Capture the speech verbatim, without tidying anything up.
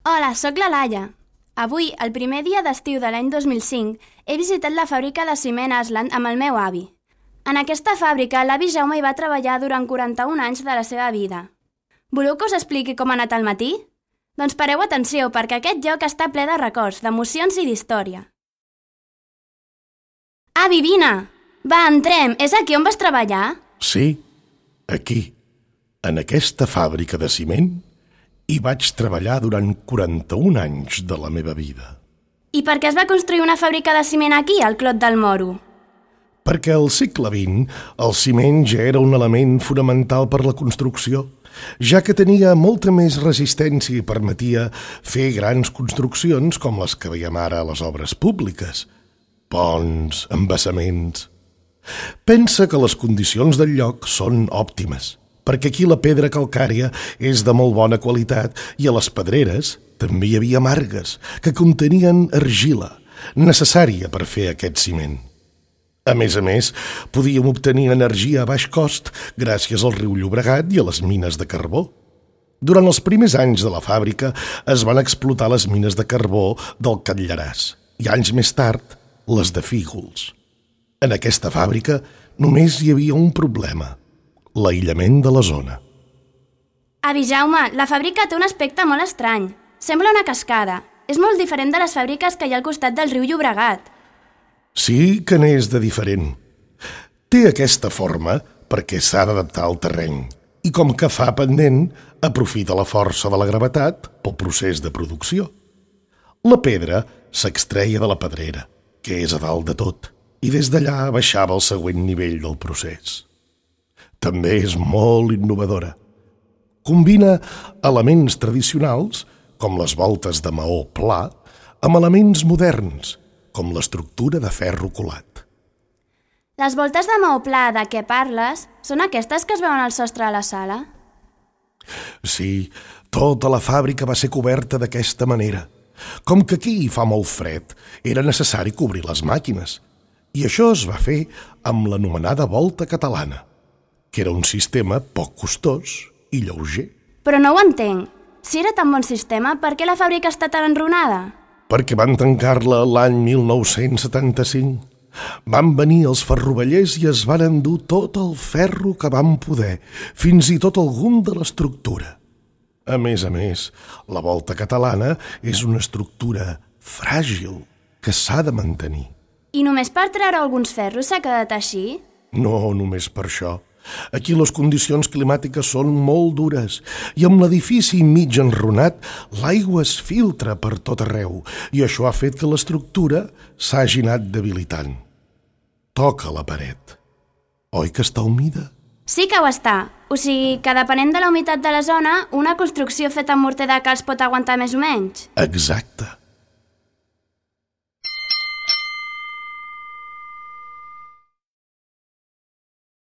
Hola, sóc la Laia. Avui, el primer dia d'estiu de l'any dos mil cinc, he visitat la fàbrica de ciment Asland amb el meu avi. En aquesta fàbrica, l'avi Jaume hi va treballar durant quaranta-un anys de la seva vida. Voleu que us expliqui com ha anat el matí? Doncs pareu atenció, perquè aquest lloc està ple de records, d'emocions i d'història. Avi, vine! Va, entrem! És aquí on vas treballar? Sí, aquí, en aquesta fàbrica de ciment, hi vaig treballar durant quaranta-un anys de la meva vida. I per què es va construir una fàbrica de ciment aquí, al Clot del Moro? Perquè al segle vint el ciment ja era un element fonamental per la construcció, ja que tenia molta més resistència i permetia fer grans construccions com les que veiem ara a les obres públiques. Ponts, embassaments... Pensa que les condicions del lloc són òptimes, perquè aquí la pedra calcària és de molt bona qualitat i a les pedreres també hi havia margues que contenien argila, necessària per fer aquest ciment. A més a més, podíem obtenir energia a baix cost gràcies al riu Llobregat i a les mines de carbó. Durant els primers anys de la fàbrica es van explotar les mines de carbó del Catllaràs i anys més tard les de Fígols. En aquesta fàbrica només hi havia un problema, l'aïllament de la zona. Avi Jaume, la fàbrica té un aspecte molt estrany. Sembla una cascada. És molt diferent de les fàbriques que hi ha al costat del riu Llobregat. Sí que n'és de diferent. Té aquesta forma perquè s'ha d'adaptar al terreny i com que fa pendent, aprofita la força de la gravetat pel procés de producció. La pedra s'extreia de la pedrera, que és a dalt de tot, i des d'allà baixava al següent nivell del procés. També és molt innovadora. Combina elements tradicionals, com les voltes de maó pla, amb elements moderns, com l'estructura de ferro colat. Les voltes de maó pla de què parles són aquestes que es veuen al sostre de la sala? Sí, tota la fàbrica va ser coberta d'aquesta manera. Com que aquí fa molt fred, era necessari cobrir les màquines, i això es va fer amb l'anomenada volta catalana, que era un sistema poc costós i lleuger. Però no ho entenc. Si era tan bon sistema, per què la fàbrica està tan enrunada? Perquè van tancar-la l'any mil nou-cents setanta-cinc. Van venir els ferrovellers i es van endur tot el ferro que van poder, fins i tot algun de l'estructura. A més a més, la volta catalana és una estructura fràgil que s'ha de mantenir. I només per treure alguns ferros s'ha quedat així? No, només per això. Aquí les condicions climàtiques són molt dures i amb l'edifici mig enrunat l'aigua es filtra per tot arreu i això ha fet que l'estructura s'hagi anat debilitant. Toca la paret. Oi que està humida? Sí que ho està. O sigui que depenent de la humitat de la zona, una construcció feta amb morter de calç pot aguantar més o menys. Exacte.